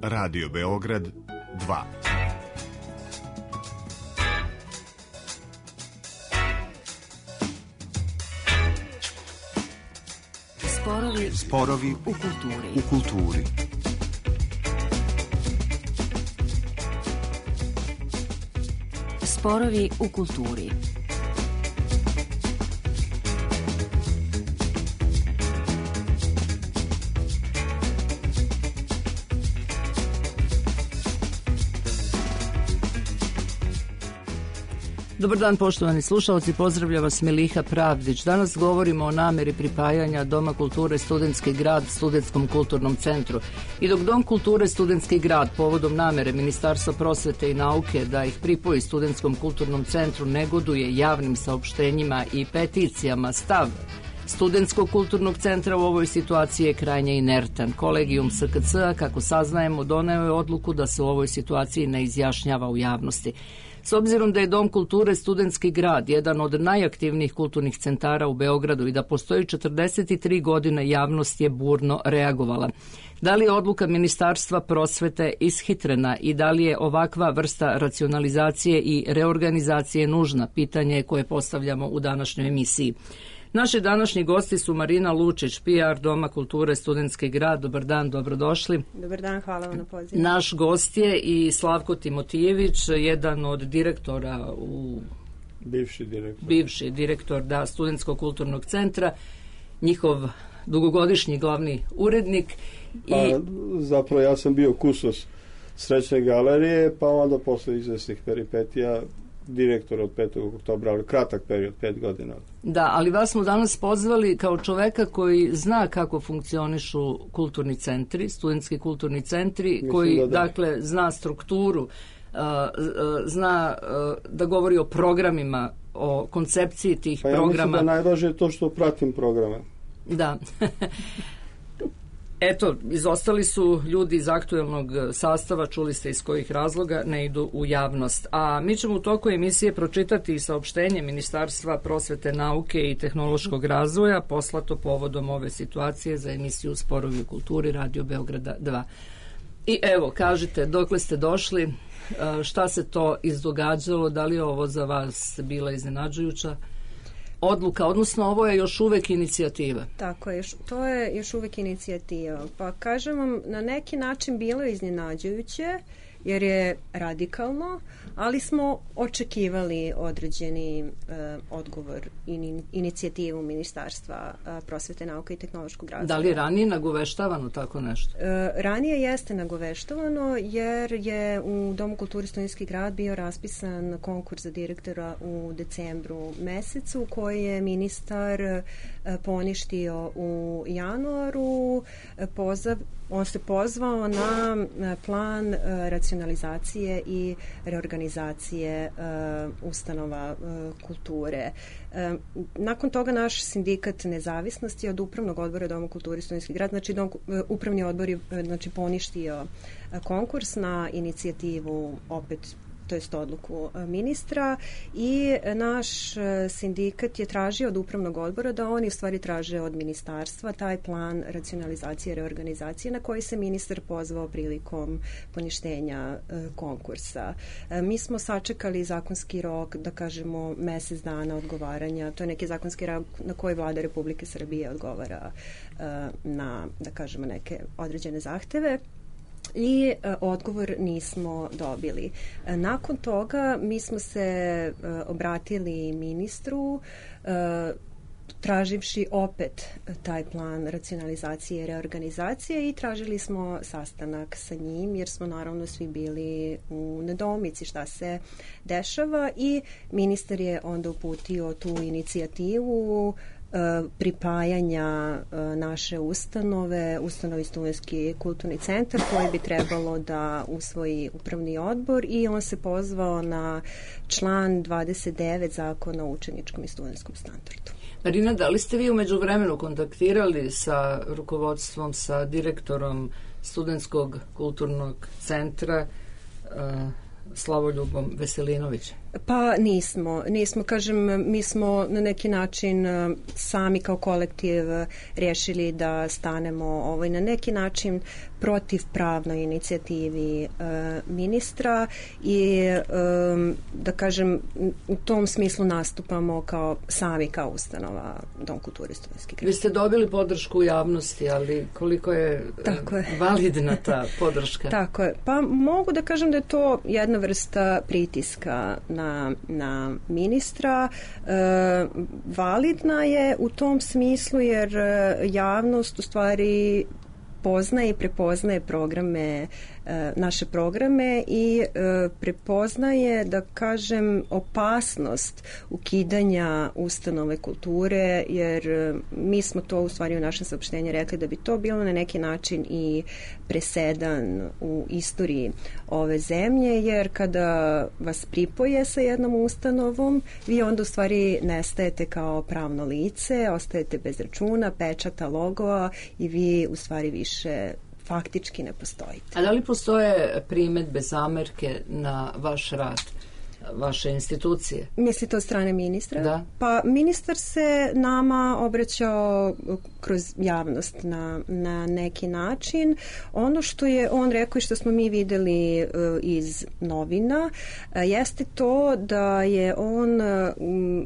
Radio Beograd 2. Sporovi u kulturi. Sporovi u kulturi. Dobar dan, poštovani slušalci, pozdravlja vas Miliha Pravdić. Danas govorimo o nameri pripajanja Doma kulture Studentski grad Studentskom kulturnom centru. I dok Dom kulture Studentski grad povodom namere Ministarstva prosvete i nauke da ih pripoji Studentskom kulturnom centru negoduje javnim saopštenjima i peticijama, stav Studentskog kulturnog centra u ovoj situaciji je krajnje inertan. Kolegijum SKC-a, kako saznajemo, doneo je odluku da se u ovoj situaciji ne izjašnjava u javnosti. S obzirom da je Dom kulture Studentski grad jedan od najaktivnijih kulturnih centara u Beogradu i da postoji 43 godine, javnost je burno reagovala. Da li je odluka Ministarstva prosvete ishitrena i da li je ovakva vrsta racionalizacije i reorganizacije nužna? Pitanje koje postavljamo u današnjoj emisiji. Naši današnji gosti su Marina Lučić, PR Doma kulture Studentski grad. Dobar dan, dobrodošli. Dobar dan, hvala vam na pozivu. Naš gost je i Slavko Timotijević, jedan od direktora bivši direktor Studentskog kulturnog centra, njihov dugogodišnji glavni urednik. Zapravo ja sam bio kustos Srećne galerije, pa onda posle izvesnih peripetija direktor od 5. oktobra, ali kratak period, 5 godina. Da, ali vas smo danas pozvali kao čoveka koji zna kako funkcionišu kulturni centri, studentski kulturni centri. Mislim koji, dakle, zna strukturu, zna da govori o programima, o koncepciji tih programa. Ja mislim da najvažnije je to što pratim programe. Da. Eto, izostali su ljudi iz aktuelnog sastava, čuli ste iz kojih razloga, ne idu u javnost. A mi ćemo u toku emisije pročitati saopštenje Ministarstva prosvete, nauke i tehnološkog razvoja poslato povodom ove situacije za emisiju Sporovi u kulturi Radio Beograda 2. I evo, kažite, dokle ste došli, šta se to izdogađalo, da li je ovo za vas bila iznenađujuća odluka, odnosno ovo je još uvek inicijativa? Tako je, to je još uvek inicijativa. Pa kažem vam, na neki način bilo je iznenađujuće, jer je radikalno, ali smo očekivali određeni odgovor i inicijativu Ministarstva prosvete, nauke i tehnološkog razvoja. Da li je ranije nagoveštavano tako nešto? Ranije jeste nagoveštavano, jer je u Domu kulture Studentski grad bio raspisan konkurs za direktora u decembru mesecu, koji je ministar poništio u januaru. On se pozvao na plan racionalizacije i reorganizacije ustanova kulture. Nakon toga naš sindikat Nezavisnosti od Upravnog odbora Doma kulture Studentski grad, znači Upravni odbor je poništio konkurs na inicijativu opet, to jest odluku ministra, i naš sindikat je tražio od Upravnog odbora da oni u stvari traže od ministarstva taj plan racionalizacije i reorganizacije na koji se ministar pozvao prilikom poništenja konkursa. Mi smo sačekali zakonski rok, da kažemo mesec dana odgovaranja, to je neki zakonski rok na koji Vlada Republike Srbije odgovara na, da kažemo, neke određene zahteve. I odgovor nismo dobili. Nakon toga mi smo se obratili ministru traživši opet taj plan racionalizacije i reorganizacije i tražili smo sastanak sa njim, jer smo naravno svi bili u nedoumici šta se dešava, i ministar je onda uputio tu inicijativu pripajanja naše ustanovi Studentski kulturni centar, koji bi trebalo da usvoji upravni odbor, i on se pozvao na član 29 Zakona o učeničkom i studentskom standardu. Marina, da li ste vi u međuvremenu kontaktirali sa rukovodstvom, sa direktorom Studentskog kulturnog centra Slavoljubom Veselinovićem? Pa nismo, kažem, mi smo na neki način sami kao kolektiv rješili da stanemo na neki način protivpravnoj inicijativi ministra i da kažem u tom smislu nastupamo sami kao ustanova Dom kulture Studentski grad. Vi ste dobili podršku u javnosti, ali koliko je validna ta podrška? Tako je. Pa mogu da kažem da je to jedna vrsta pritiska na ministra. Validna je u tom smislu jer javnost u stvari poznaje i prepoznaje naše programe i prepoznaje, da kažem, opasnost ukidanja ustanove kulture, jer mi smo to u stvari u našem saopštenju rekli da bi to bilo na neki način i presedan u istoriji ove zemlje, jer kada vas pripoje sa jednom ustanovom, vi onda u stvari nestajete kao pravno lice, ostajete bez računa, pečata, logoa i vi u stvari više faktički ne postojite. A da li postoje primedbe, zamerke na vaš rad, vaše institucije? Mislite od strane ministra? Da. Pa ministar se nama obraćao kroz javnost na neki način. Ono što je on rekao i što smo mi videli iz novina jeste to da je on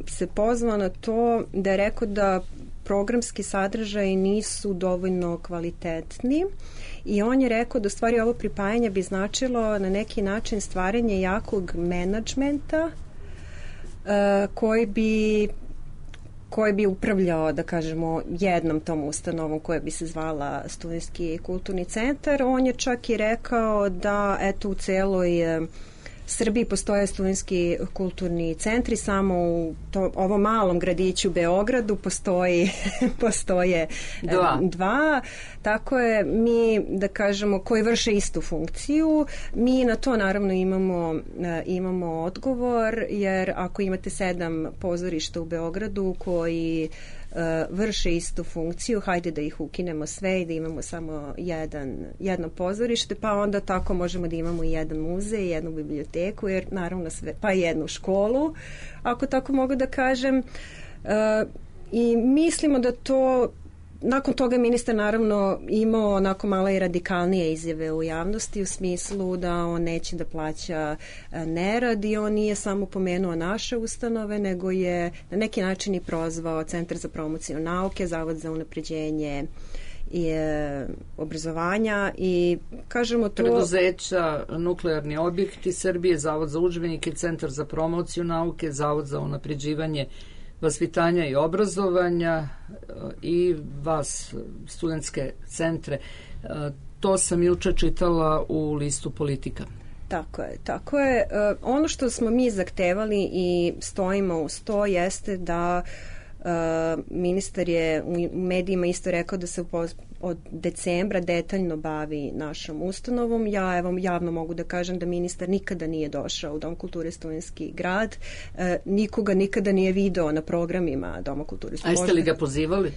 se pozvao na to da je rekao da programski sadržaji nisu dovoljno kvalitetni i on je rekao da u stvari ovo pripajanje bi značilo na neki način stvaranje jakog menadžmenta koji bi upravljao, da kažemo, jednom tom ustanovom koja bi se zvala Studentski kulturni centar. On je čak i rekao da eto u celoj Srbiji postoje studentski kulturni centri, samo u ovom malom gradiću Beogradu postoje dva. Tako je, mi, da kažemo, koji vrše istu funkciju. Mi na to naravno imamo odgovor, jer ako imate 7 pozorišta u Beogradu koji vrše istu funkciju, hajde da ih ukinemo sve i da imamo samo jedno pozorište, pa onda tako možemo da imamo i jedan muzej, jednu biblioteku, jer naravno sve, pa i jednu školu, ako tako mogu da kažem. I mislimo da to nakon toga ministar naravno imao onako malo i radikalnije izjave u javnosti u smislu da on neće da plaća nerad i on nije samo pomenuo naše ustanove, nego je na neki način i prozvao Centar za promociju nauke, Zavod za unapređenje i obrazovanja i kažemo to... Preduzeća, nuklearni objekti Srbije, Zavod za udžbenike, Centar za promociju nauke, Zavod za unapređivanje vaspitanja i obrazovanja i vas, studentske centre. To sam juče čitala u listu Politika. Tako je. Ono što smo mi zahtevali i stojimo uz to jeste da ministar je u medijima isto rekao da se od decembra detaljno bavi našom ustanovom. Ja evo javno mogu da kažem da ministar nikada nije došao u Dom kulture Studentski grad. Nikoga nikada nije video na programima Doma kulture. A jeste li ga pozivali?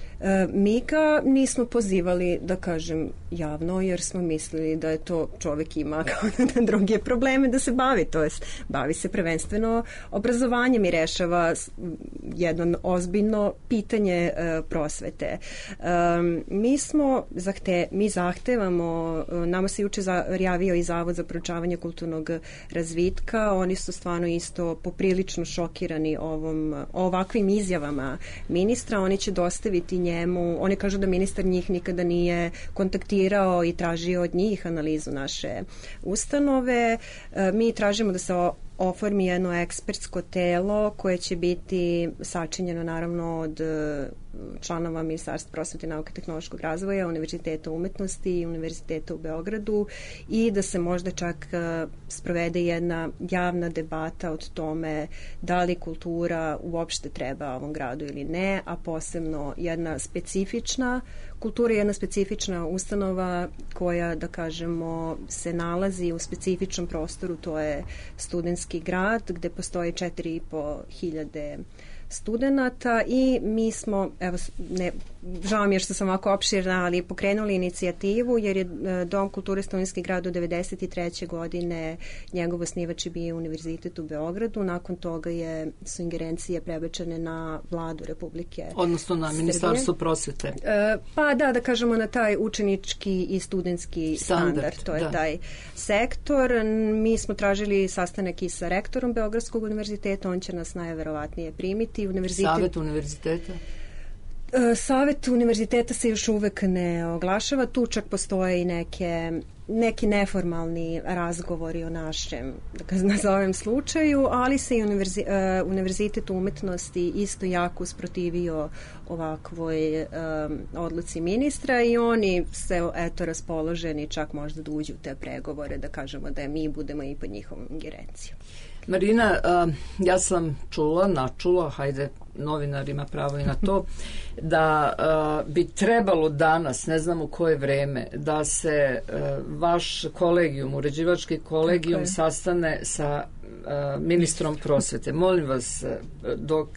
Mi ga nismo pozivali, da kažem javno, jer smo mislili da je to čovjek ima kao na druge probleme da se bavi. To jest, bavi se prvenstveno obrazovanjem i rešava jedno ozbiljno pitanje prosvete. Mi zahtevamo, nama se juče javio i Zavod za proučavanje kulturnog razvitka, oni su stvarno isto poprilično šokirani ovakvim izjavama ministra, oni će dostaviti njemu, oni kažu da ministar njih nikada nije kontaktirao i tražio od njih analizu naše ustanove. Mi tražimo da se oformi jedno ekspertsko telo koje će biti sačinjeno naravno od članova Ministarstva prosvete, nauke i tehnološkog razvoja, Univerziteta umetnosti i Univerziteta u Beogradu i da se možda čak sprovede jedna javna debata o tome da li kultura uopšte treba ovom gradu ili ne, a posebno jedna specifična ustanova koja, da kažemo, se nalazi u specifičnom prostoru, to je studentski grad gde postoje 4.500 studenata i mi smo, evo, žao mi je što sam ovako opširna, ali pokrenuli inicijativu jer je Dom kulture Studentski grad od 1993. godine njegov osnivač je bio Univerzitet u Beogradu, nakon toga su ingerencije prebačene na vladu Republike odnosno na Srbije. Ministarstvo prosvete. Pa da kažemo na taj učenički i studentski standard. To je taj sektor. Mi smo tražili sastanak i sa rektorom Beogradskog univerziteta, on će nas najverovatnije primiti. Savet univerziteta? Savet univerziteta se još uvek ne oglašava, tu čak postoje i neki neformalni razgovori o našem, da nazovem, slučaju, ali se i Univerzitet umetnosti isto jako usprotivio ovakvoj odluci ministra i oni se raspoloženi čak možda da uđu u te pregovore, da kažemo da mi budemo i pod njihovom ingerencijom. Marina, ja sam načula, hajde, novinar ima pravo i na to, da bi trebalo danas, ne znam u koje vreme, da se vaš kolegijum, uređivački kolegijum sastane sa ministrom prosvete. Molim vas, dok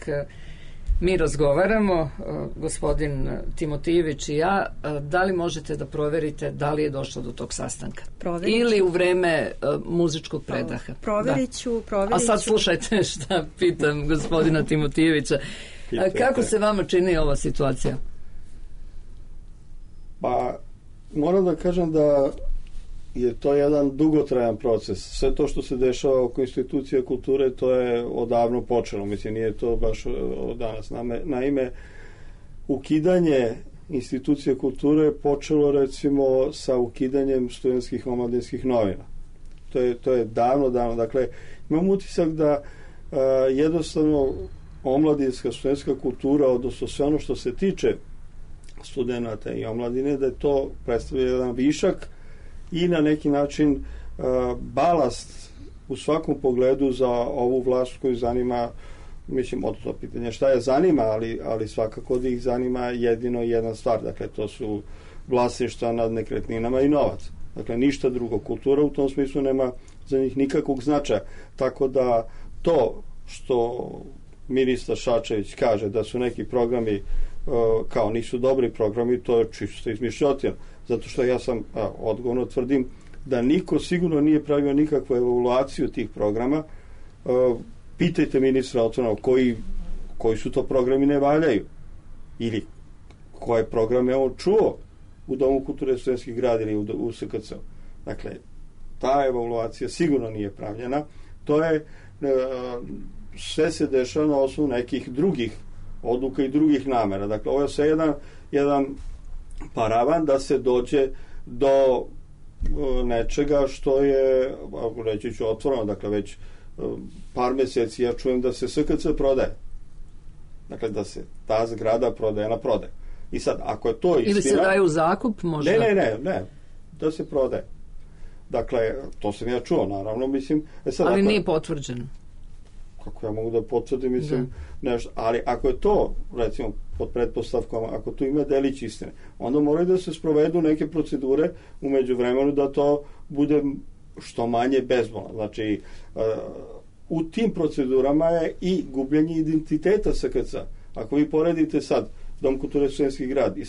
mi razgovaramo, gospodin Timotijević i ja, da li možete da proverite da li je došlo do tog sastanka? Ili u vreme muzičkog predaha? Proverit ću. A sad slušajte šta pitam gospodina Timotijevića. Kako se vama čini ova situacija? Pa, moram da kažem da je to jedan dugotrajan proces. Sve to što se dešava oko institucija kulture, to je odavno počelo. Mislim, nije to baš od danas. Naime, ukidanje institucija kulture je počelo, recimo, sa ukidanjem studentskih omladinskih novina. To je davno. Dakle, imam utisak da jednostavno omladinska, studentska kultura, odnosno sve ono što se tiče studenata i omladine, da je to predstavlja jedan višak i na neki način balast u svakom pogledu za ovu vlast koju zanima, mislim, od to pitanje šta je zanima, ali svakako da ih zanima jedino jedna stvar, dakle to su vlasništva nad nekretninama i novac. Dakle, ništa drugo. Kultura u tom smislu nema za njih nikakvog značaja. Tako da to što ministar Šačević kaže da su neki programi kao nisu dobri programi, to je čisto izmišljotina. Zato što ja sam odgovorno tvrdim da niko sigurno nije pravio nikakvu evaluaciju tih programa. Pitajte ministra otvoreno koji su to programi ne valjaju ili koje programe on čuo u Domu kulture Studentskih grad ili u SKC. Dakle, ta evaluacija sigurno nije pravljena. To je sve se dešava na osnovu nekih drugih odluka i drugih namera. Dakle, ovo je sve jedan paravan da se dođe do nečega što je, reći ću otvoreno, dakle već par meseci ja čujem da se SKC prodaje. Dakle, da se ta zgrada prodaje na prodaj. I sad, ako je to istina... Ili se daje u zakup, možda? Ne, da se prodaje. Dakle, to sam ja čuo, naravno, mislim... Sad, ali nije potvrđeno. Kako ja mogu da potvrdim, mislim, nešto, ali ako je to, recimo, pod pretpostavkom, ako tu ima delić istine, onda moraju da se sprovedu neke procedure u međuvremenu da to bude što manje bezbolno. Znači, u tim procedurama je i gubljenje identiteta SKC. Ako vi poredite sad Dom kulture Studentski grad i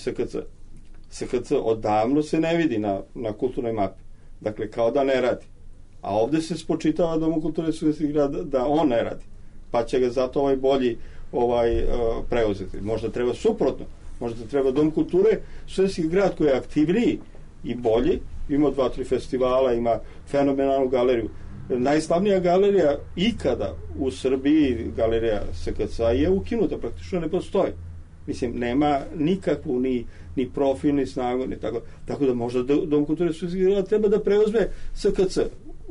SKC odavno se ne vidi na kulturnoj mapi. Dakle, kao da ne radi. A ovde se spočitava Domu kulture Studentski grad da on ne radi. Pa će ga zato ovaj bolji preuzeti. Možda treba suprotno. Možda treba Dom kulture Studentski grad koji je aktivniji i bolji. Ima 2-3 festivala, ima fenomenalnu galeriju. Najslavnija galerija ikada u Srbiji, galerija SKC, je ukinuta, praktično ne postoji. Mislim, nema nikakvu ni profil, ni snagu, ni tako. Tako da možda Dom kulture Studentski grad treba da preuzme SKC,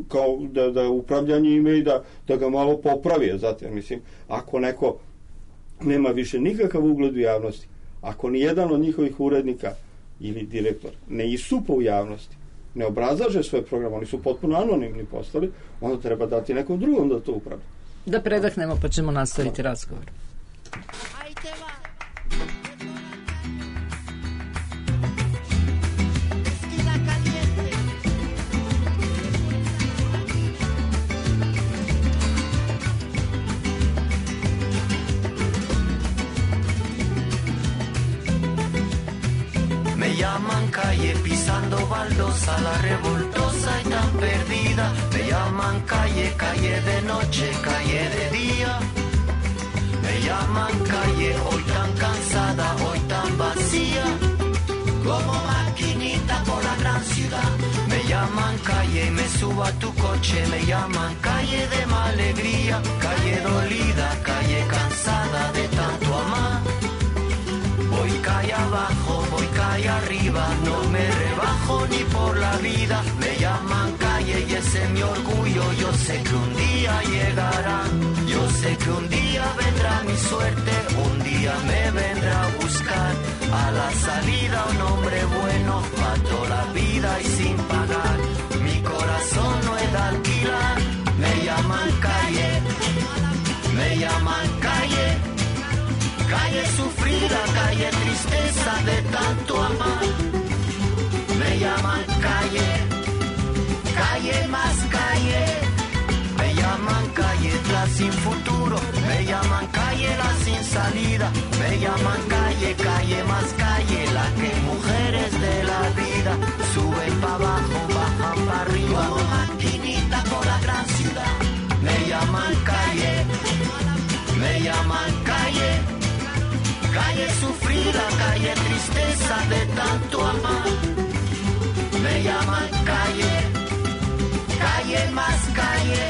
kao da upravljanje ime i da ga malo popravi. Zatim, mislim, ako neko nema više nikakav ugled u javnosti, ako ni jedan od njihovih urednika ili direktor ne istupa u javnosti, ne obrazlaže svoje programe, oni su potpuno anonimni postali, onda treba dati nekom drugom da to upravlja. Da predahnemo pa ćemo nastaviti razgovor. calle, pisando baldosa, la revoltosa y tan perdida. Me llaman calle, calle de noche, calle de día. Me llaman calle, hoy tan cansada, hoy tan vacía. Como maquinita por la gran ciudad. Me llaman calle y me subo a tu coche. Me llaman calle de mala alegría. Calle dolida, calle cansada de tanto amar. Voy calle abajo, voy calle arriba. No me rebajo ni por la vida. Me llaman calle y ese es mi orgullo. Yo sé que un día llegará. Yo sé que un día vendrá mi suerte. Un día me vendrá a buscar. A la salida un hombre bueno, pa' toda la vida y sin pagar. Mi corazón no es de alquilar. Me llaman calle, me llaman calle. Calle sufrida, calle tristeza de tanto amar. Me llaman calle, calle más calle. Me llaman calle la sin futuro. Me llaman calle la sin salida. Me llaman calle, calle más calle. La que mujeres de la vida suben para abajo, bajan para arriba. Como maquinita por la gran ciudad. Me llaman calle, me llaman calle. Calle sufrida, calle tristeza de tanto amar. Me llaman calle, calle más calle.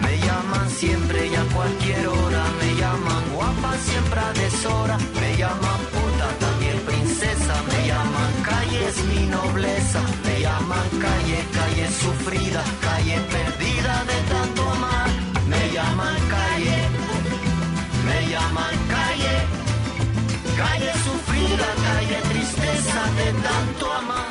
Me llaman siempre y a cualquier hora. Me llaman guapa siempre a deshora. Me llaman puta también princesa. Me llaman calle es mi nobleza. Me llaman calle, calle sufrida, calle perdida de tanto amar. Me llaman calle, me llaman calle. Calle sufrida, calle tristeza de tanto amar.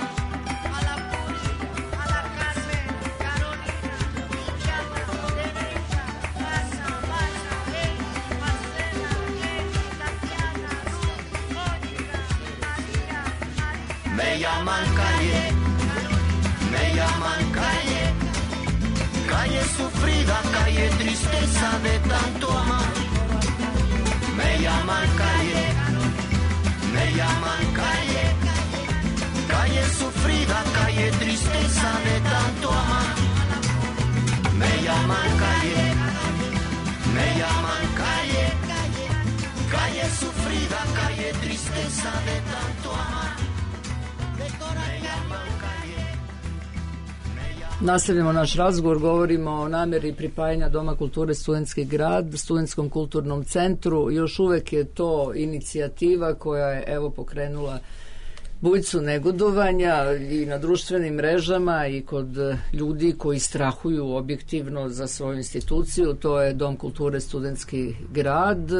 Me llaman calle, me llaman calle. Calle sufrida, calle tristeza de tanto amar. Me llaman calle, me llaman calle. Calle sufrida, calle tristeza de tanto amar. Me llaman calle, me llaman calle. Calle sufrida, calle tristeza de tanto amar. Nastavljamo naš razgovor, govorimo o namjeri pripajanja Doma kulture Studentski grad Studentskom kulturnom centru. Još uvek je to inicijativa koja je evo pokrenula bujicu negodovanja i na društvenim mrežama i kod ljudi koji strahuju objektivno za svoju instituciju. To je Dom kulture Studentski grad.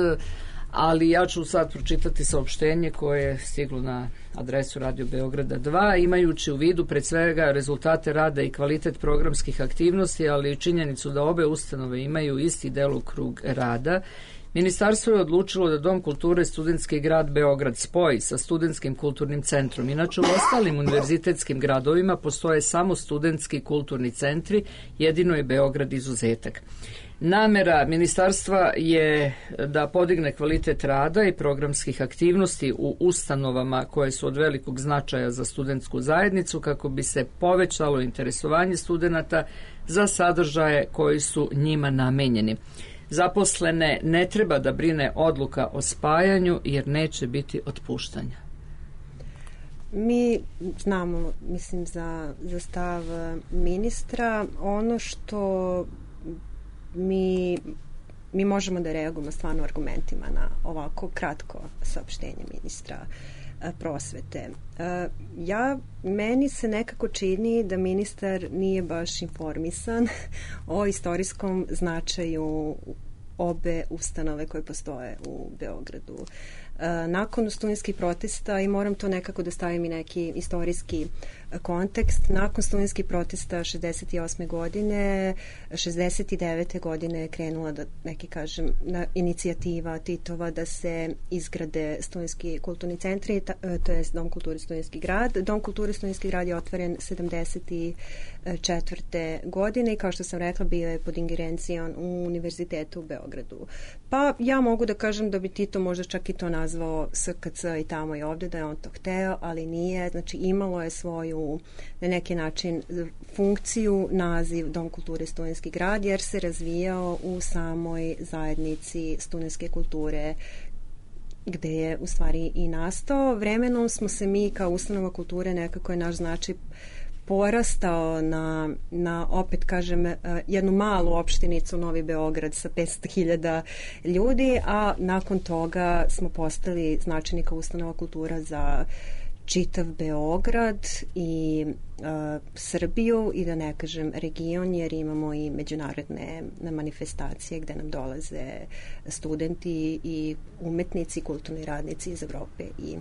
Ali ja ću sad pročitati saopštenje koje je stiglo na adresu Radio Beograda 2, imajući u vidu pred svega rezultate rada i kvalitet programskih aktivnosti, ali i činjenicu da obe ustanove imaju isti delokrug rada. Ministarstvo je odlučilo da Dom kulture Studentski grad Beograd spoji sa Studentskim kulturnim centrom. Inače, u ostalim univerzitetskim gradovima postoje samo studentski kulturni centri, jedino je Beograd izuzetak. Namera ministarstva je da podigne kvalitet rada i programskih aktivnosti u ustanovama koje su od velikog značaja za studentsku zajednicu kako bi se povećalo interesovanje studenata za sadržaje koji su njima namenjeni. Zaposlene ne treba da brine odluka o spajanju jer neće biti otpuštanja. Mi znamo, mislim, za stav ministra. Ono što mi možemo da reagujemo stvarno argumentima na ovako kratko saopštenje ministra prosvete. Meni se nekako čini da ministar nije baš informisan o istorijskom značaju obe ustanove koje postoje u Beogradu. Nakon studentskih protesta, i moram to nekako da stavim i neki istorijski kontekst. Nakon studentskih protesta 68. godine, 69. godine je krenula inicijativa Titova da se izgrade studentski kulturni centri, to je Dom kulture Studentski grad. Dom kulture Studentski grad je otvoren 74. godine i kao što sam rekla bio je pod ingerencijom u Univerzitetu u Beogradu. Pa ja mogu da kažem da bi Tito možda čak i to nazvao SKC i tamo i ovde, da je on to hteo, ali nije. Znači imalo je svoju na neki način funkciju, naziv Dom kulture Studentski grad jer se razvijao u samoj zajednici studentske kulture gde je u stvari i nastao. Vremenom smo se mi kao ustanova kulture, nekako je naš značaj porastao na opet kažem jednu malu opštinicu Novi Beograd sa 500.000 ljudi, a nakon toga smo postali značajni kao ustanova kultura za čitav Beograd i Srbiju i da ne kažem region, jer imamo i međunarodne manifestacije gde nam dolaze studenti i umetnici, kulturni radnici iz Evrope i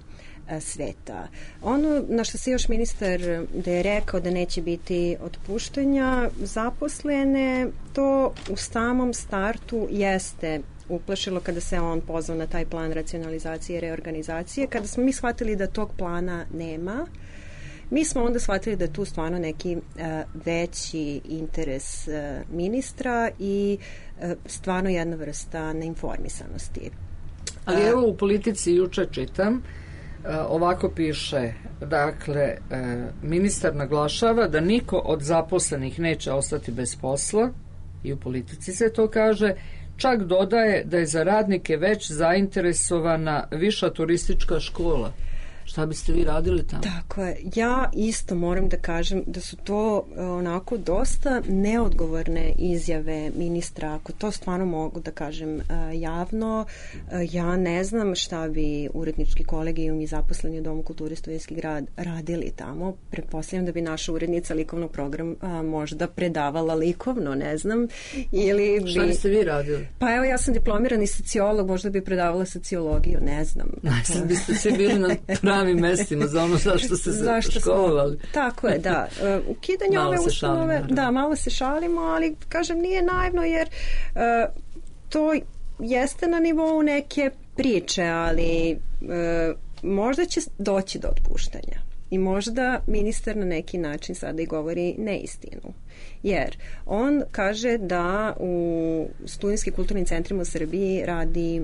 sveta. Ono na što se još ministar da je rekao da neće biti otpuštanja zaposlene, to u samom startu jeste uplašilo kada se on pozvao na taj plan racionalizacije i reorganizacije. Kada smo mi shvatili da tog plana nema, mi smo onda shvatili da je tu stvarno neki veći interes ministra i stvarno jedna vrsta neinformisanosti. Ali evo u Politici juče čitam, ovako piše, dakle, ministar naglašava da niko od zaposlenih neće ostati bez posla i u Politici se to kaže, čak dodaje da je za radnike već zainteresovana viša turistička škola. Šta biste vi radili tamo? Tako je. Ja isto moram da kažem da su to onako dosta neodgovorne izjave ministra. Ako to stvarno mogu da kažem javno, ja ne znam šta bi urednički kolegijum i zaposleni u Domu kulture Studentski grad radili tamo. Pretpostavljam da bi naša urednica likovnog programa možda predavala likovno, ne znam. Ili šta biste vi radili? Pa evo, ja sam diplomirani sociolog, možda bi predavala sociologiju, ne znam. Sad biste svi bili na pravim mestima za ono zašto ste se školovali. Tako je, da. Ukidanje ove ustanove, da, malo se šalimo, ali kažem nije naivno jer to jeste na nivou neke priče, ali možda će doći do otpuštanja. I možda ministar na neki način sada i govori neistinu. Jer on kaže da u studentskim kulturnim centrima u Srbiji radi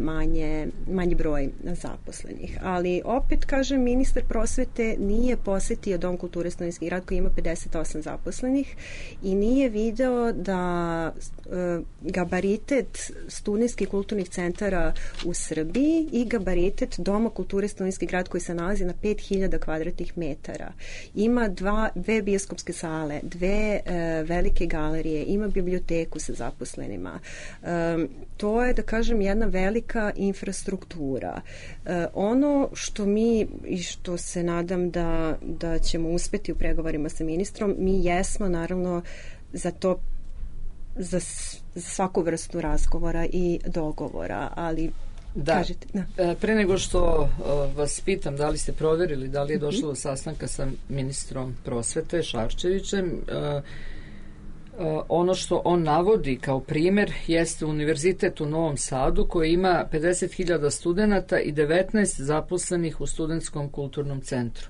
manji broj zaposlenih. Ali opet, kaže, ministar prosvete nije posetio Dom kulture Studentski grad koji ima 58 zaposlenih i nije video da gabaritet studentskih kulturnih centara u Srbiji i gabaritet Doma kulture Studentski grad koji se nalazi na 5000 kvadratnih metara. Ima dve bioskopske sale, dve velike galerije, ima biblioteku sa zaposlenima. To je, da kažem, jedna velika infrastruktura. Ono što mi i što se nadam da ćemo uspeti u pregovorima sa ministrom, mi jesmo naravno za to, za svaku vrstu razgovora i dogovora, ali da. Kažete, da. Pre nego što vas pitam da li ste proverili da li je došlo do sastanka sa ministrom prosvete Šarčevićem, ono što on navodi kao primer jeste Univerzitet u Novom Sadu koji ima 50.000 studenata i 19 zaposlenih u Studentskom kulturnom centru.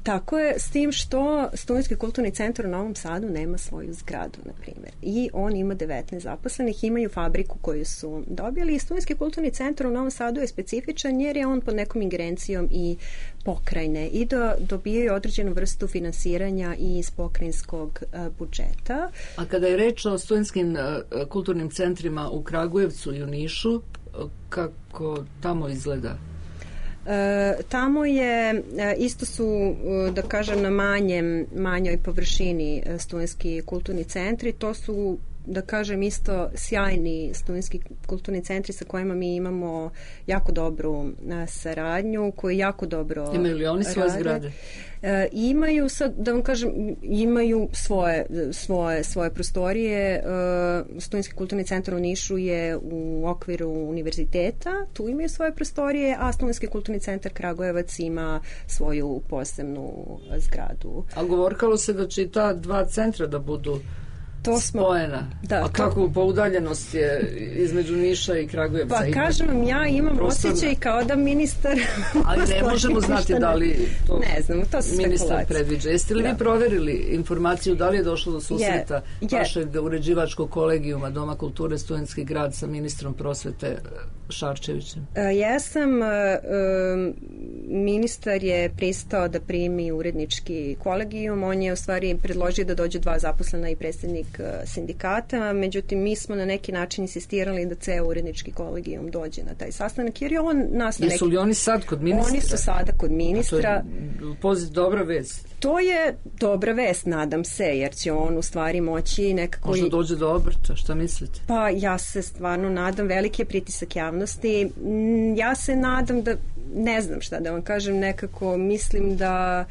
Tako je, s tim što Studentski kulturni centar u Novom Sadu nema svoju zgradu, na primjer. I on ima 19 zaposlenih, imaju fabriku koju su dobili i Studentski kulturni centar u Novom Sadu je specifičan jer je on pod nekom ingerencijom i pokrajine i dobijaju određenu vrstu finansiranja i iz pokrajinskog budžeta. A kada je reč o studentskim kulturnim centrima u Kragujevcu i u Nišu, kako tamo izgleda? Tamo je, isto su, da kažem, na manjoj površini studentski kulturni centri, to su da kažem isto sjajni studentski kulturni centri sa kojima mi imamo jako dobru saradnju, koji jako dobro imaju li oni svoje zgrade? Imaju, sad da vam kažem, imaju svoje prostorije. Studentski kulturni centar u Nišu je u okviru univerziteta, tu imaju svoje prostorije, a Studentski kulturni centar Kragujevac ima svoju posebnu zgradu. A govorkalo se da će i ta dva centra da budu spojena. A kako po udaljenost je između Niša i Kragujevca? Pa kažem vam, ja imam osjećaj kao da ministar... Ali ne možemo znati da li to ne znam, to su ministar predviđa. Jeste li vi proverili informaciju da li je došlo do susreta vašeg uređivačkog kolegijuma Doma kulture Studentski grad sa ministrom prosvete Šarčevićem? Jesam. Ministar je pristao da primi urednički kolegijum. On je u stvari predložio da dođe 2 zaposlena i predsjednik sindikata, međutim mi smo na neki način insistirali da ceo urednički kolegijum dođe na taj sastanak, jer je on nas na neki... Jesu li oni sad kod ministra? Oni su sada kod ministra. To je dobra vest. To je dobra vest, nadam se, jer će on u stvari moći nekako... Možda dođe do obrta, šta mislite? Pa ja se stvarno nadam, veliki je pritisak javnosti. Ja se nadam da, ne znam šta da vam kažem, nekako mislim da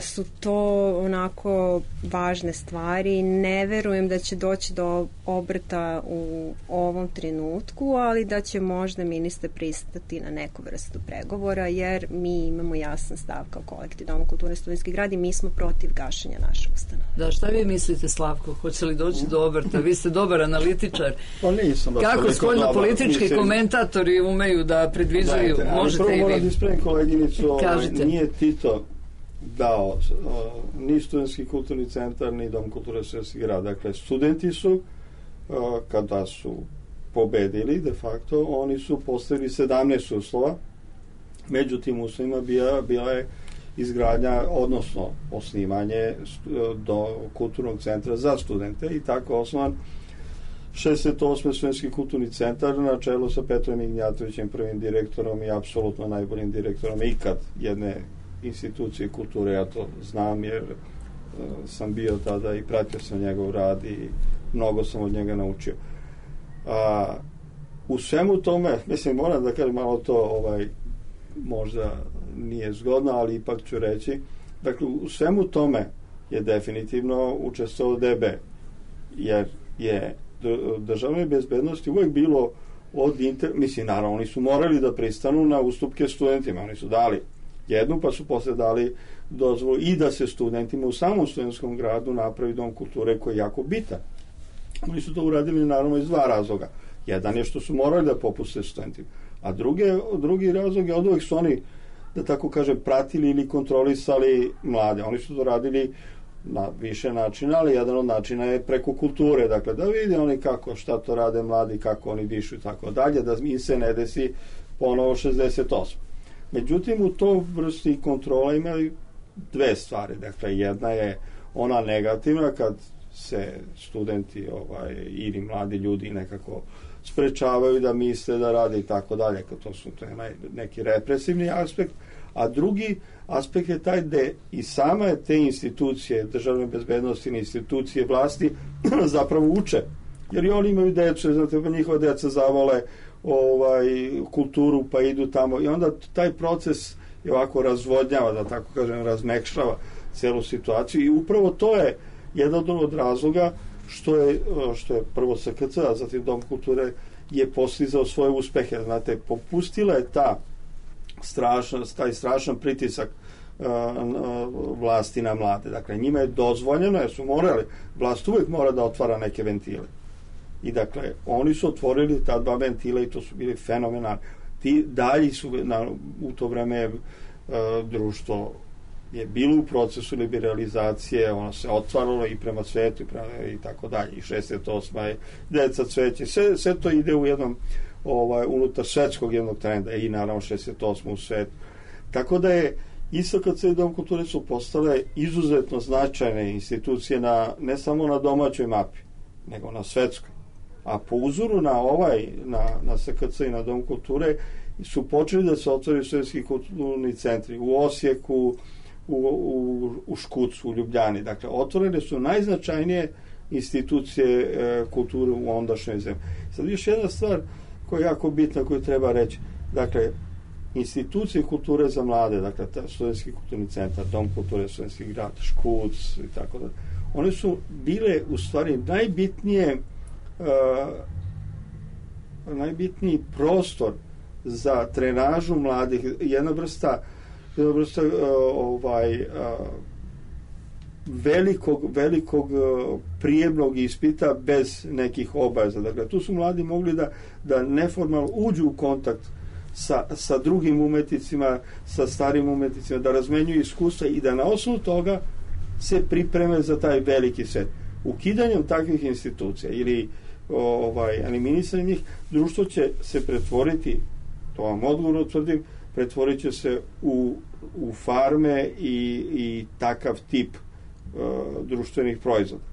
su to onako važne stvari. Ne verujem da će doći do obrta u ovom trenutku, ali da će možda ministar pristati na neku vrstu pregovora, jer mi imamo jasan stav kao kolektiv Doma kulture Studentski grad i mi smo protiv gašenja naše ustanove. Da, šta vi mislite, Slavko? Hoće li doći do obrta? Vi ste dobar analitičar. Pa nisam. Kako spoljno-politički komentatori umeju da predviđaju? Možete i vi. Prvo moram da ispravim koleginicu, nije Tito dao ni Studentski kulturni centar, ni Dom kulture Studentski grad. Dakle, studenti su, kada su pobedili, de facto, oni su postavili 17 uslova. Među tim uslovima bila je izgradnja, odnosno osnivanje do kulturnog centra za studente i tako osnovan 68. Studentski kulturni centar na čelu sa Petrom Ignjatovićem, prvim direktorom i apsolutno najboljim direktorom ikad jedne institucije kulture. Ja to znam jer sam bio tada i pratio sam njegov rad i mnogo sam od njega naučio. U svemu tome, mislim, moram da kažem malo to možda nije zgodno, ali ipak ću reći, dakle, u svemu tome je definitivno učestvovao DB, jer je državnoj bezbednosti uvek bilo mislim, naravno, oni su morali da pristanu na ustupke studentima, oni su dali jednu, pa su posle dali dozvolu i da se studentima u samom studentskom gradu napravi dom kulture koji je jako bitan. Oni su to uradili naravno iz 2 razloga. Jedan je što su morali da popuste studentima, a drugi razlog je od uvek su oni, da tako kažem, pratili ili kontrolisali mlade. Oni su to radili na više načina, ali jedan od načina je preko kulture, dakle da vide oni šta to rade mladi, kako oni dišu i tako dalje, da im se ne desi ponovo 68. Međutim, u to vrsti kontrola imaju 2 stvari. Dakle, jedna je ona negativna, kad se studenti ili mladi ljudi nekako sprečavaju da misle, da rade i tako dalje. To je neki represivni aspekt. A drugi aspekt je taj da i sama te institucije, državne bezbednosti, institucije vlasti zapravo uče. Jer i oni imaju decu, znate, pa njihova deca zavole kulturu, pa idu tamo i onda taj proces je ovako razvodnjava, da tako kažem, razmekšava celu situaciju i upravo to je jedan od razloga što je prvo SKC, a zatim Dom kulture je postizao svoje uspehe. Znate, popustila je taj strašan pritisak vlasti na mlade. Dakle, njima je dozvoljeno, jer su morali, vlast uvek mora da otvara neke ventile. I dakle, oni su otvorili ta 2 ventila i to su bili fenomenalni. Ti dalji su, u to vreme društvo je bilo u procesu liberalizacije, ono se otvaralo i prema svetu i tako dalje. I 68. je deca cveće. Sve to ide u jednom unutar svetskog jednog trenda i naravno 68. u svetu. Tako da je ISKC i Dom kulture su postale izuzetno značajne institucije ne samo na domaćoj mapi, nego na svetskoj. A po uzoru na SKC i na Dom kulture su počeli da se otvaraju studentski kulturni centri u Osijeku, u Škucu, u Ljubljani. Dakle, otvorene su najznačajnije institucije kulture u ondašnjoj zemlji. Sad još jedna stvar koja je jako bitna, koju treba reći. Dakle, institucije kulture za mlade, dakle, Studentski kulturni centar, Dom kulture, Studentski grad, Škuc i tako da. One su bile u stvari najbitniji prostor za trenažu mladih, jedna vrsta velikog prijemnog ispita bez nekih obaveza. Dakle, tu su mladi mogli da neformalno uđu u kontakt sa drugim umetnicima, sa starim umetnicima, da razmenjuju iskustva i da na osnovu toga se pripreme za taj veliki svet. Ukidanjem takvih institucija ili eliminisanjem njih, društvo će se pretvoriti, to vam odgovorno tvrdim, pretvorit će se u farme i takav tip društvenih proizvoda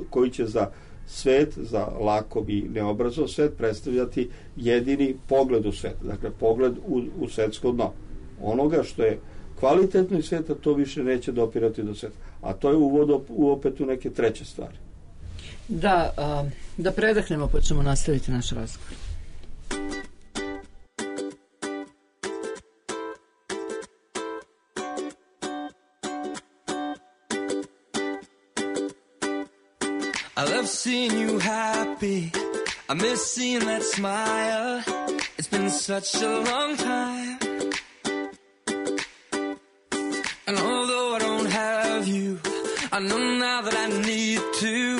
koji će za svet, za lakov i neobrazov svet predstavljati jedini pogled u svet, dakle pogled u svetsko dno. Onoga što je kvalitetno iz sveta, to više neće dopirati do sveta. A to je uvod opet u neke treće stvari. Da predahnemo pa ćemo nastaviti naš razgovor. I love seeing you happy. I miss seeing that smile. It's been such a long time. And although I don't have you, I know now that I need to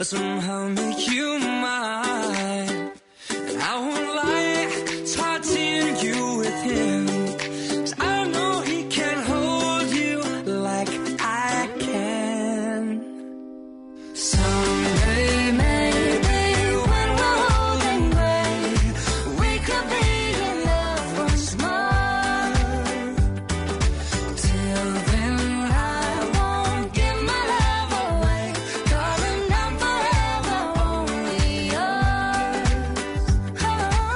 somehow make you mine. And I won't lie, it's hard seeing you with him. 'Cause I know he can't hold you like I can. Someday maybe when we're old and gray, we could be in love once more. Till then I won't give my love away, darling, I'm forever only yours. Oh.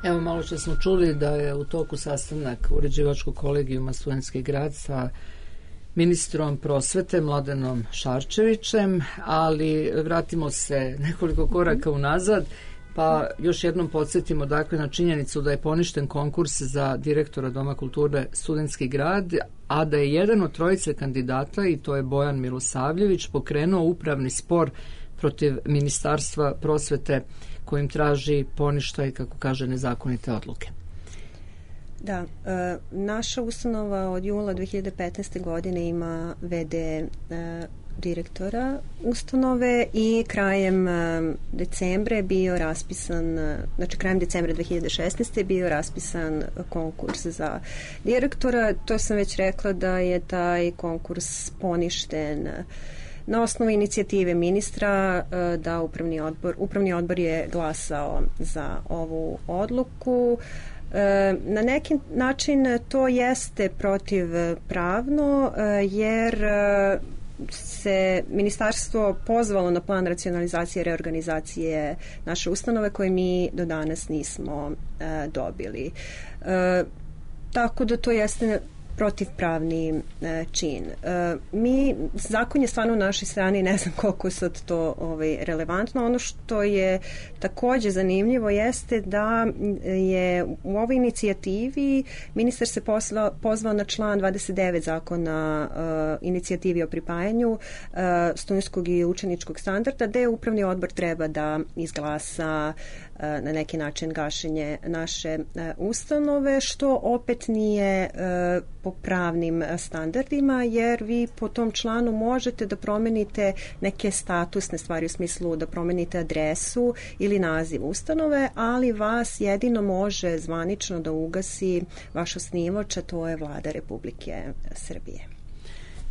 Evo, malo što smo čuli da je u toku sastanak uređivačkog kolegijuma Studentski grad sa ministrom prosvete Mladenom Šarčevićem, ali vratimo se nekoliko koraka unazad, pa još jednom podsjetimo dakle na činjenicu da je poništen konkurs za direktora Doma kulture Studentski grad, a da je jedan od trojice kandidata, i to je Bojan Milosavljević, pokrenuo upravni spor protiv Ministarstva prosvete kojim traži poništaj, kako kaže, nezakonite odluke. Da, naša ustanova od jula 2015. godine ima VD direktora ustanove i krajem decembra je bio raspisan, znači krajem decembra 2016. je bio raspisan konkurs za direktora. To sam već rekla da je taj konkurs poništen na osnovu inicijative ministra, da upravni odbor je glasao za ovu odluku. Na neki način to jeste protivpravno, jer se ministarstvo pozvalo na plan racionalizacije i reorganizacije naše ustanove koje mi do danas nismo dobili. Tako da to jeste protivpravni čin. Zakon je stvarno u našoj strani, ne znam koliko sad to relevantno. Ono što je takođe zanimljivo jeste da je u ovoj inicijativi ministar se pozvao na član 29 zakona inicijativi o pripajanju studentskog i učeničkog standarda, gde upravni odbor treba da izglasa na neki način gašenje naše ustanove, što opet nije po pravnim standardima, jer vi po tom članu možete da promenite neke statusne stvari, u smislu da promenite adresu ili naziv ustanove, ali vas jedino može zvanično da ugasi vaš osnivač, a to je Vlada Republike Srbije.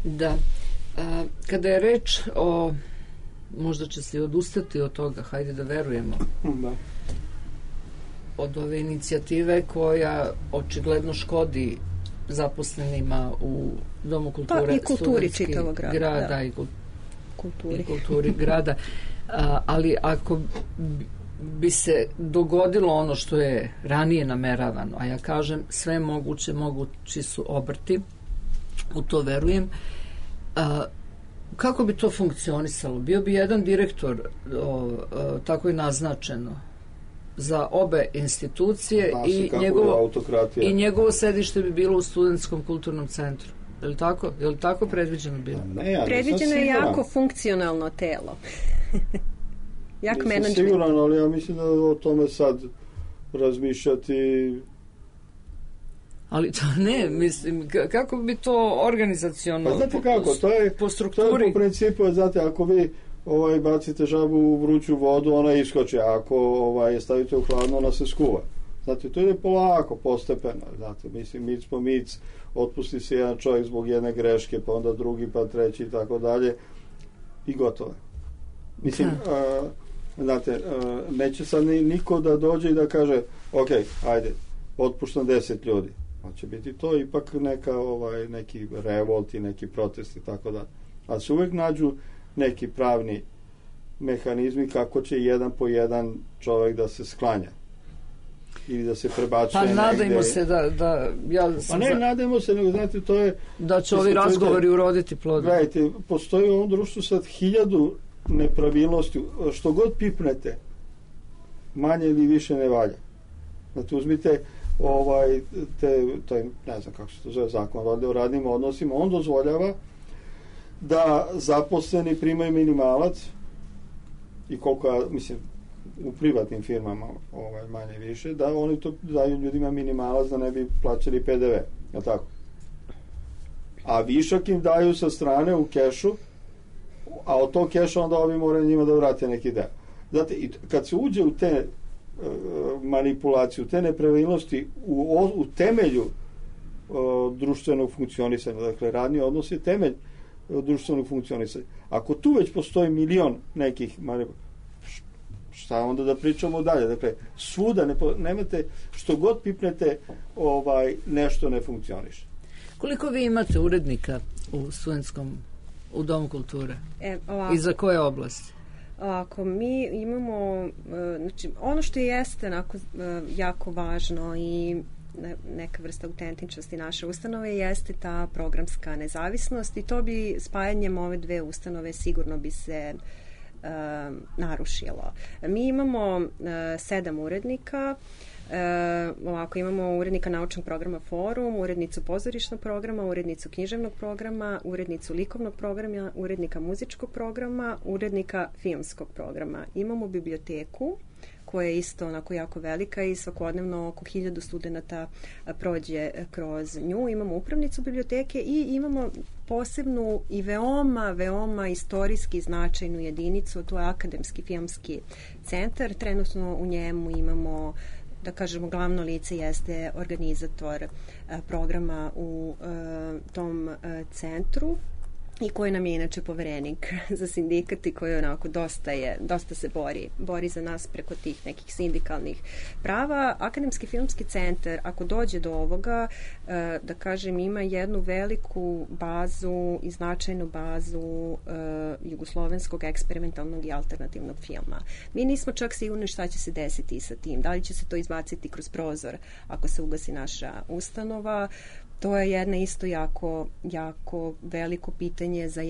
Da. Kada je reč o, možda će se odustati od toga, hajde da verujemo, da, od ove inicijative koja očigledno škodi zaposlenima u Domu kulture, i kulturi čitavog grada, da. i kulturi grada, ali ako bi se dogodilo ono što je ranije nameravano, a ja kažem sve mogući su obrti, u to verujem, kako bi to funkcionisalo? Bio bi jedan direktor, tako je naznačeno, za obe institucije i njegovo sedište bi bilo u Studentskom kulturnom centru. Je li tako predviđeno bilo? Predviđeno je jako funkcionalno telo. Jak menadžment. Nisam siguran, ali ja mislim da o tome sad razmišljati. Ali to ne, mislim, kako bi to organizaciono, pa znate kako, to je po strukturi? To je po principu, znate, ako vi bacite žabu u vruću vodu, ona iskoči, ako je stavite u hladno, ona se skuva. Znate, to ide polako, postepeno, znate, mislim, mic po mic, otpusti se jedan čovjek zbog jedne greške, pa onda drugi, pa treći i tako dalje, i gotovo. Mislim, znate, neće sad niko da dođe i da kaže, ok, ajde, otpuštam 10 ljudi. Će biti to ipak neki revolt i neki protest i tako da. Ali se uvek nađu neki pravni mehanizmi kako će jedan po jedan čovjek da se sklanja ili da se prebacuje negde. Pa nadajmo se da nadajmo se, nego znate, to je da će ovi razgovori uroditi plodom. Gledajte, postoji u ovom društvu sad 1000 nepravilnosti, što god pipnete, manje ili više ne valja. Znate, uzmite ne znam kako se to zove, zakon o radnim odnosima, on dozvoljava da zaposleni primaju minimalac i koliko, mislim, u privatnim firmama manje više, da oni to daju ljudima minimalac da ne bi plaćali PDV, je tako? A višak im daju sa strane u kešu, a od tog keša onda ovi moraju njima da vrate neki deo. Znate, kad se uđe u te manipulaciju, te nepravilnosti u temelju društvenog funkcionisanja, dakle radni odnos je temelj društvenog funkcionisanja. Ako tu već postoji milion nekih šta onda da pričamo dalje? Dakle, svuda nemate, što god pipnete, nešto ne funkcioniše. Koliko vi imate urednika u Domu kulture? I za koje oblasti? Ako mi imamo, znači ono što jeste onako jako važno i neka vrsta autentičnosti naše ustanove jeste ta programska nezavisnost i to bi spajanjem ove dve ustanove sigurno bi se narušilo. Mi imamo 7 urednika. Ovako, imamo urednika naučnog programa Forum, urednicu pozorišnog programa, urednicu književnog programa, urednicu likovnog programa, urednika muzičkog programa, urednika filmskog programa. Imamo biblioteku koja je isto onako jako velika i svakodnevno oko 1000 studenata prođe kroz nju. Imamo upravnicu biblioteke i imamo posebnu i veoma istorijski značajnu jedinicu, to je Akademski filmski centar. Trenutno u njemu imamo, da kažemo, glavno lice jeste organizator programa u tom centru i koji nam je inače poverenik za sindikat i koji onako dosta se bori za nas preko tih nekih sindikalnih prava. Akademski filmski centar, ako dođe do ovoga, da kažem, ima jednu veliku bazu i značajnu bazu jugoslovenskog eksperimentalnog i alternativnog filma. Mi nismo čak sigurni šta će se desiti sa tim. Da li će se to izbaciti kroz prozor ako se ugasi naša ustanova? To je jedna isto jako veliko pitanje za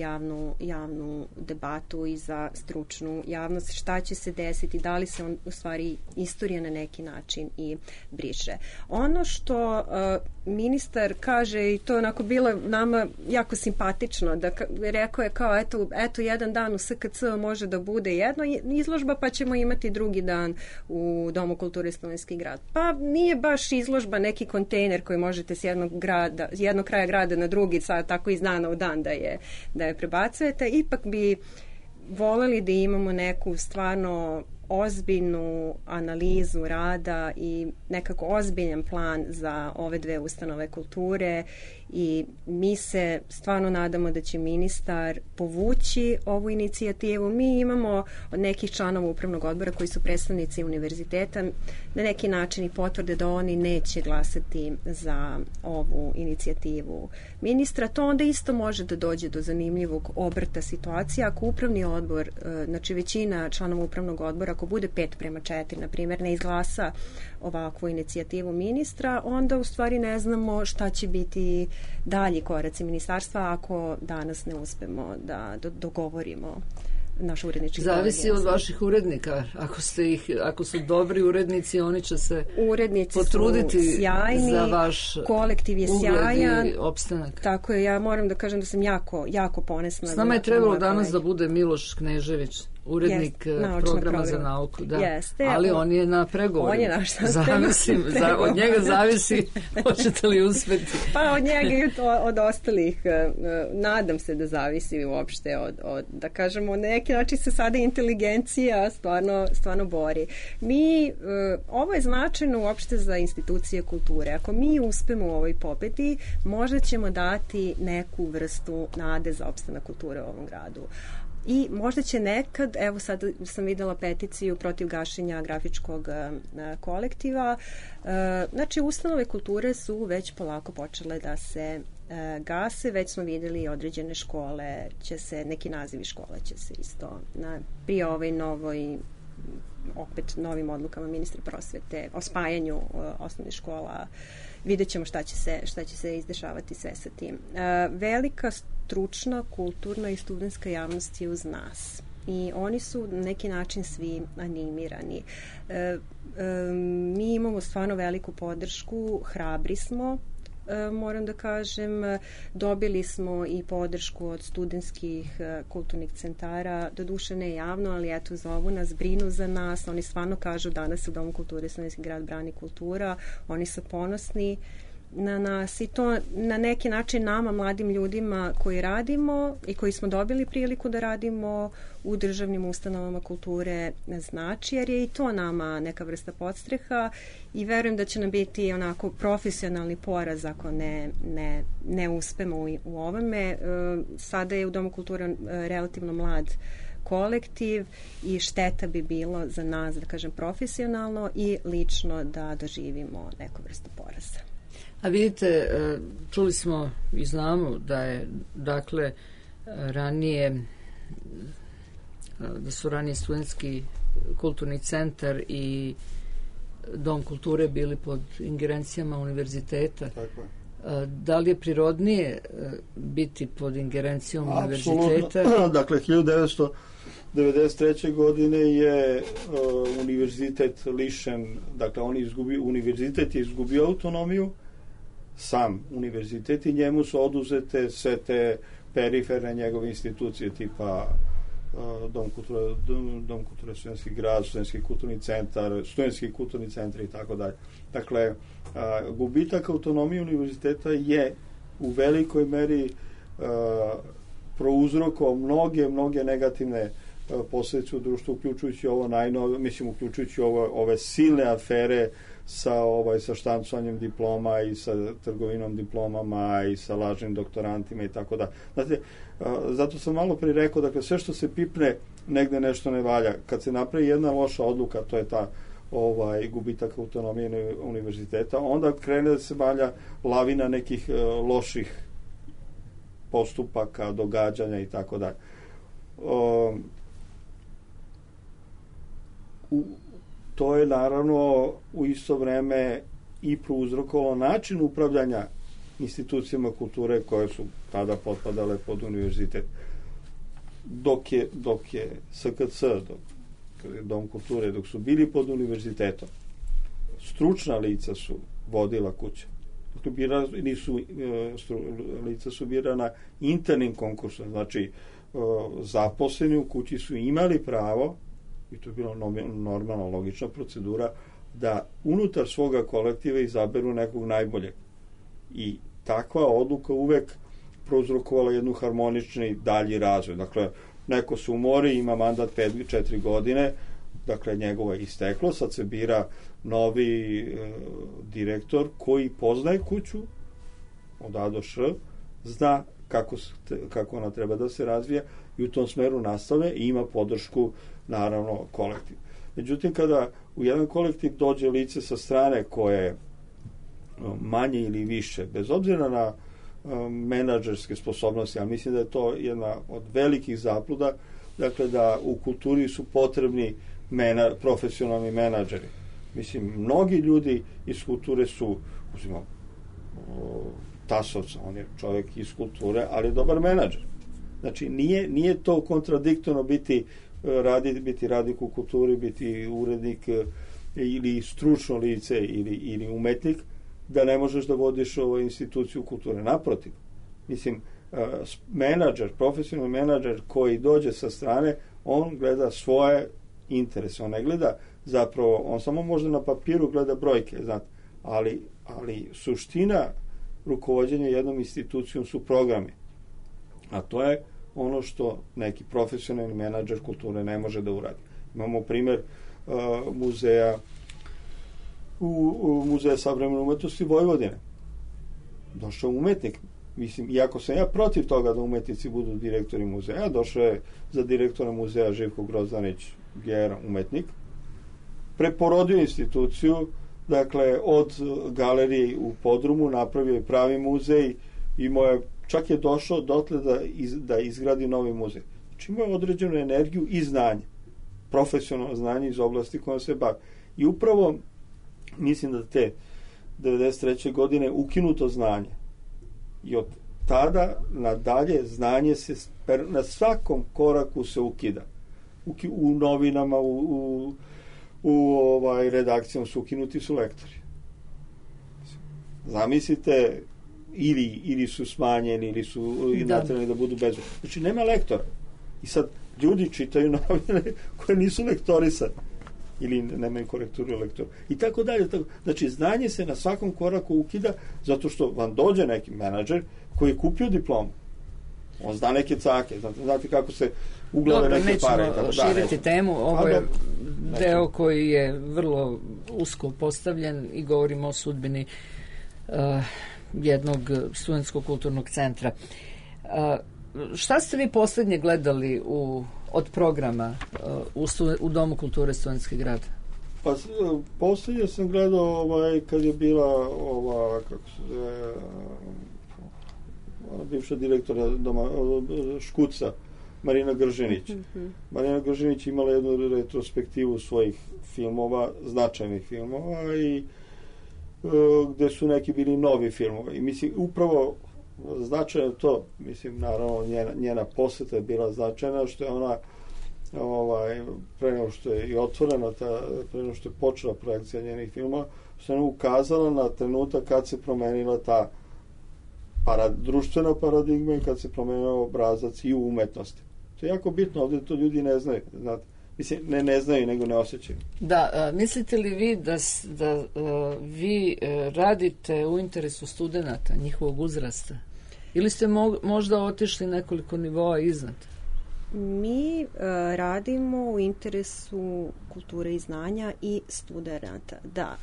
javnu debatu i za stručnu javnost. Šta će se desiti? Da li se u stvari istorija na neki način i briše? Ono što ministar kaže, i to je onako bilo nama jako simpatično, da rekao je kao eto jedan dan u SKC može da bude jedna izložba, pa ćemo imati drugi dan u Domu kulture Studenski grad. Pa nije baš izložba neki kontejner koji možete s jednog kraja grada na drugi, sad tako iz dana u dan da je prebacujete. Ipak bi voleli da imamo neku stvarno ozbiljnu analizu rada i nekako ozbiljan plan za ove dve ustanove kulture i mi se stvarno nadamo da će ministar povući ovu inicijativu. Mi imamo od nekih članova upravnog odbora koji su predstavnici univerziteta na neki način i potvrde da oni neće glasati za ovu inicijativu ministra. To onda isto može da dođe do zanimljivog obrta situacije. Ako upravni odbor, znači većina članova upravnog odbora, ako bude 5:4, na primjer, ne izglasa ovakvu inicijativu ministra, onda u stvari ne znamo šta će biti dalji koraci ministarstva ako danas ne uspemo da dogovorimo naš urednički kolegij. Zavisi od vaših urednika. Ako su dobri urednici, oni će se potruditi sjajni, za vaš kolektiv je sjajan i opstanak. Tako je, ja moram da kažem da sam jako ponosna. S nama je trebalo danas da bude Miloš Knežević, urednik programa za nauku. Da. Jeste. Ali on je na pregovoru. On je naš od njega zavisi hoćete li uspeti. Pa od njega i od ostalih. Nadam se da zavisi uopšte od da kažemo, na neki način se sada inteligencija stvarno bori. Ovo je značajno uopšte za institucije kulture. Ako mi uspemo u ovoj pobedi, možda ćemo dati neku vrstu nade za opstanak kulture u ovom gradu. I možda će nekad, evo sad sam videla peticiju protiv gašenja grafičkog kolektiva, znači ustanove kulture su već polako počele da se gase, već smo vidjeli određene škole, neki nazivi škole će se isto pri ovoj novim odlukama ministra prosvete o spajanju osnovnih škola, vidjet ćemo šta će se izdešavati sve sa tim. Velika stručna, kulturna i studentska javnost je uz nas i oni su na neki način svi animirani. Mi imamo stvarno veliku podršku, hrabri smo, moram da kažem, dobili smo i podršku od studentskih kulturnih centara, doduše ne javno, ali eto zovu nas, brinu za nas, oni stvarno kažu danas u Domu kulture Studenski grad brani kultura, oni su ponosni na nas i to na neki način nama, mladim ljudima koji radimo i koji smo dobili priliku da radimo u državnim ustanovama kulture znači, jer je i to nama neka vrsta podstreha i verujem da će nam biti onako profesionalni poraz ako ne uspemo u ovome. Sada je u Domu kulture relativno mlad kolektiv i šteta bi bilo za nas, da kažem, profesionalno i lično da doživimo neku vrstu poraza. A vidite, čuli smo i znamo da je, dakle, ranije da su ranije studentski kulturni centar i Dom kulture bili pod ingerencijama univerziteta. Tako je. Da li je prirodnije biti pod ingerencijom univerziteta? Apsolutno. Dakle, 1993. godine je univerzitet lišen, dakle univerzitet je izgubio autonomiju, sam univerzitet, i njemu su oduzete sve te periferne njegove institucije tipa Dom kulture Studentski grad, Studentski kulturni centar, Studentski kulturni centar i tako dalje. Dakle, gubitak autonomije univerziteta je u velikoj meri prouzrokovao mnoge negativne posljedice u društvu, uključujući ovo uključujući ove silne afere sa štancanjem diploma i sa trgovinom diplomama i sa lažnim doktorantima i tako da. Znate, zato sam malo prije rekao, dakle, sve što se pipne, negde nešto ne valja. Kad se napravi jedna loša odluka, to je ta gubitak autonomije univerziteta, onda krene da se valja lavina nekih loših postupaka, događanja i tako dalje. To je naravno u isto vreme i prouzrokovalo način upravljanja institucijama kulture koje su tada potpadale pod univerzitet. Dok je SKC, Dom kulture, dok su bili pod univerzitetom, stručna lica su vodila kuće. Lica su birana internim konkursom, znači zaposleni u kući su imali pravo, i to je bila normalna, logična procedura, da unutar svoga kolektiva izaberu nekog najboljeg. I takva odluka uvek prouzrokovala jednu harmonični dalji razvoj. Dakle, neko se umori, ima mandat 4 godine, dakle, njegovo je isteklo, sad se bira novi direktor koji poznaje kuću od A do Š, zna kako ona treba da se razvija i u tom smeru nastave i ima podršku, naravno, kolektiv. Međutim, kada u jedan kolektiv dođe lice sa strane koje manje ili više, bez obzira na menadžerske sposobnosti, ali mislim da je to jedna od velikih zabluda, dakle, da u kulturi su potrebni profesionalni menadžeri. Mislim, mnogi ljudi iz kulture su, uzimam Tasovca, on je čovjek iz kulture, ali je dobar menadžer. Znači, nije to kontradiktorno biti radnik u kulturi, biti urednik ili stručno lice ili umetnik, da ne možeš da vodiš instituciju kulture. Naprotiv, mislim, menadžer, profesionalni menadžer koji dođe sa strane, on gleda svoje interese, on ne gleda zapravo, on samo možda na papiru gleda brojke, znate, ali suština rukovođenja jednom institucijom su programi. A to je ono što neki profesionalni menadžer kulture ne može da uradi. Imamo primjer muzeja Muzeja savremene umetnosti Vojvodine. Došao umetnik. Mislim, iako sam ja protiv toga da umetnici budu direktori muzeja, došao je za direktora muzeja Živko Grozdanić Gera, umetnik, preporodio instituciju, dakle, od galerije u podrumu napravio je pravi muzej i čak je došao dotle da izgradi novi muzej. Znači, imao je određenu energiju i znanje, profesionalno znanje iz oblasti kojom se bavi. I upravo mislim da te 93. godine ukinuto znanje i od tada nadalje znanje se na svakom koraku se ukida. U novinama, u redakcijama su ukinuti su lektori. Zamislite, ili su smanjeni, ili su natreni da budu bez. Znači, nema lektora. I sad ljudi čitaju novine koje nisu lektorisane ili nemaju korekturu lektora. I tako dalje. Znači, znanje se na svakom koraku ukida zato što vam dođe neki menadžer koji je kupio diplomu. On zna neke cake. Znate kako se uglave neke pare. Nećemo širiti temu. Ovo je deo koji je vrlo usko postavljen i govorimo o sudbini jednog studentskog kulturnog centra. Šta ste vi posljednje gledali od programa u Domu kulture Studentski grad? Pa posljednje sam gledao kad je bila bivša direktora Doma Škuca, Marina Gržinić. Marina Gržinić imala jednu retrospektivu svojih filmova, značajnih filmova i gde su neki bili novi filmovi. I mislim, upravo značajno to, mislim, naravno njena poseta je bila značajna, što je ona pre nego što je i otvorena pre nego što je počela projekcija njenih filmova, što je ona ukazala na trenutak kad se promenila ta društvena paradigma i kad se promenio obrazac i u umetnosti. To je jako bitno, ovdje to ljudi ne znaju, znate. Mislim, ne znaju, nego ne osjećaju. Da, mislite li vi da vi radite u interesu studenata, njihovog uzrasta? Ili ste možda otišli nekoliko nivoa iznad? Mi radimo u interesu kulture i znanja i studenata. Da,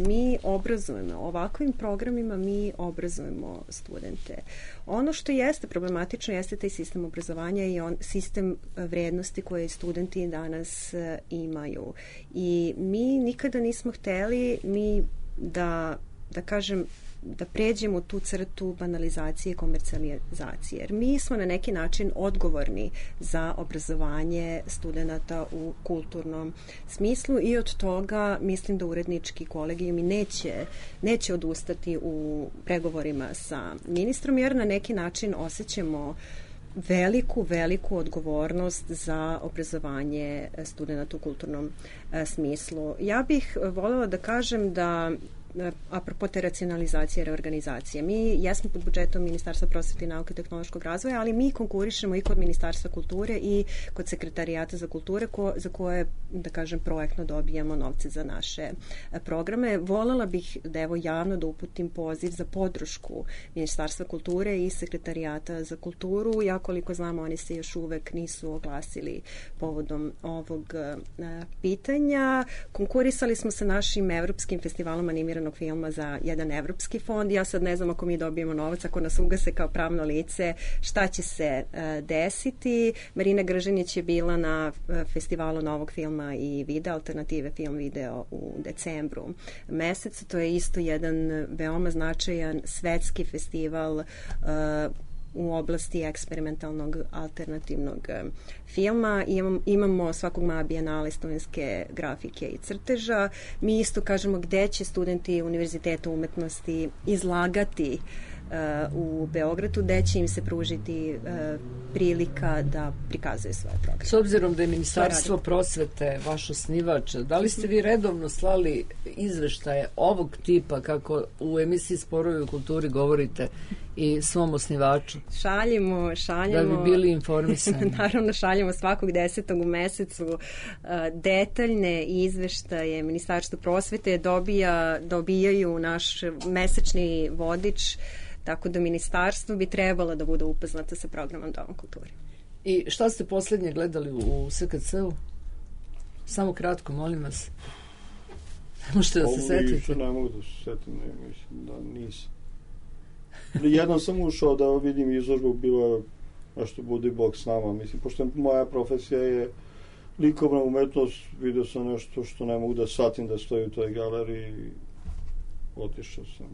mi obrazujemo, ovakvim programima mi obrazujemo studente. Ono što jeste problematično jeste taj sistem obrazovanja i sistem vrednosti koje studenti danas imaju. I mi nikada nismo hteli da kažem, da pređemo tu crtu banalizacije i komercijalizacije. Jer mi smo na neki način odgovorni za obrazovanje studenata u kulturnom smislu i od toga mislim da urednički kolegijum i neće odustati u pregovorima sa ministrom, jer na neki način osjećamo veliku odgovornost za obrazovanje studenata u kulturnom smislu. Ja bih voljela da kažem da apropo te racionalizacije i reorganizacije. Mi jesmo pod budžetom Ministarstva prosvete i nauke i tehnološkog razvoja, ali mi konkurišemo i kod Ministarstva kulture i kod Sekretarijata za kulture za koje, da kažem, projektno dobijamo novce za naše programe. Voljela bih da javno da uputim poziv za podršku Ministarstva kulture i Sekretarijata za kulturu. Ja koliko znamo, oni se još uvek nisu oglasili povodom ovog pitanja. Konkurisali smo sa našim Evropskim festivalom animiranog filma za jedan evropski fond. Ja sad ne znam ako mi dobijemo novac, ako nas ugase kao pravno lice, šta će se desiti. Marina Gržinić je bila na festivalu novog filma i videa, alternative film video u decembru mesecu. To je isto jedan veoma značajan svetski festival u oblasti eksperimentalnog alternativnog filma. Imamo svakog maja bijenale studenske grafike i crteža. Mi isto kažemo gde će studenti Univerziteta umetnosti izlagati u Beogradu, gde će im se pružiti prilika da prikazuju svoje programe. S obzirom da je Ministarstvo prosvete vaš osnivač, da li ste vi redovno slali izveštaje ovog tipa kako u emisiji Sporovi u kulturi govorite i svom osnivaču? Šaljemo. Da bi bili informisani. Naravno, šaljemo svakog 10. u mesecu detaljne izveštaje. Ministarstvo prosvete dobijaju naš mesečni vodič, tako da ministarstvo bi trebalo da bude upoznato sa programom Doma kulture. I šta ste posljednje gledali u SKC-u? Samo kratko, molim vas. Ne možete da se setite? Ne mogu da se setim, mislim da nisam. Jednom sam ušao da vidim izložbu, bilo nešto Budi Bog s nama. Mislim, pošto moja profesija je likovna umetnost, vidio sam nešto što ne mogu da shvatim da stoji u toj galeriji i otišao sam.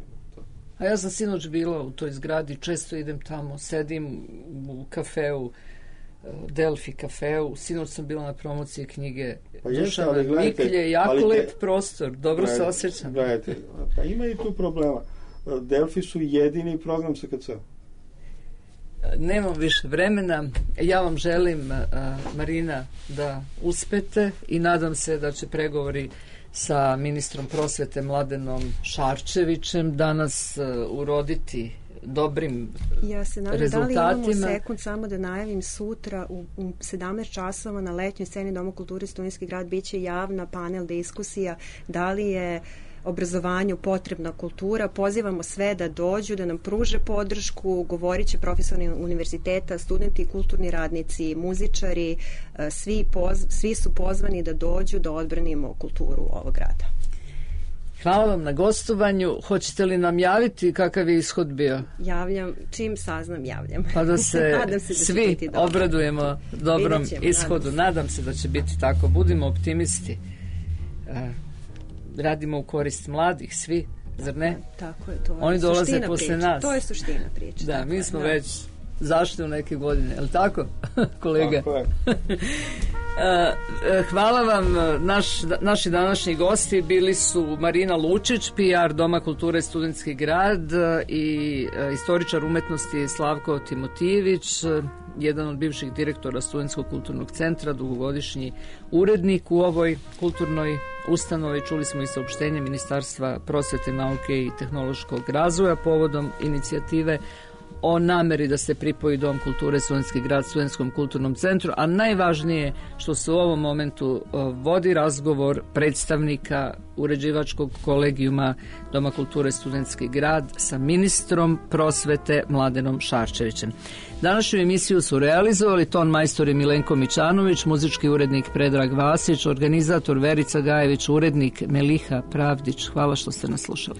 A ja sam sinoć bila u toj zgradi, često idem tamo, sedim u kafeu, Delfi kafeu, sinoć sam bila na promociji knjige Dušana Miklje, jako lep prostor, dobro se osjećam. Gledajte, pa ima i tu problema. Delfi su jedini program SKC. Nemam više vremena. Ja vam želim, Marina, da uspete i nadam se da će pregovori sa ministrom prosvete Mladenom Šarčevićem danas uroditi dobrim ja se nadam, rezultatima. Da li imamo sekund samo da najavim sutra u 17 časova na letnjoj sceni Doma kulture Studentski grad biće javna panel diskusija da li je obrazovanju potrebna kultura. Pozivamo sve da dođu, da nam pruže podršku. Govorit će profesori univerziteta, studenti, kulturni radnici, muzičari. Svi su pozvani da dođu da odbranimo kulturu ovog grada. Hvala vam na gostovanju. Hoćete li nam javiti kakav je ishod bio? Javljam, čim saznam javljam. Pa da se svi obradujemo dobrom ishodu. Nadam se da će biti tako. Budimo optimisti. Radimo u korist mladih, svi, zar ne? Tako je, to je oni dolaze suština posle priče. nas. To je suština priče. Da, mi smo već zašli u neke godine, je li tako, kolega? Tako je. Hvala vam. Naši današnji gosti bili su Marina Lučić, PR Doma kulture Studentski grad, i istoričar umetnosti Slavko Timotijević, jedan od bivših direktora Studentskog kulturnog centra, dugogodišnji urednik u ovoj kulturnoj ustanovi. Čuli smo i saopštenje Ministarstva prosvete, nauke i tehnološkog razvoja povodom inicijative o nameri da se pripoji Dom kulture Studentski grad Studentskom kulturnom centru, a najvažnije što se u ovom momentu vodi razgovor predstavnika uređivačkog kolegijuma Doma kulture Studentski grad sa ministrom prosvete Mladenom Šarčevićem. Današnju emisiju su realizovali ton majstor Milenko Mićanović, muzički urednik Predrag Vasić, organizator Verica Gajević, urednik Meliha Pravdić. Hvala što ste nas slušali.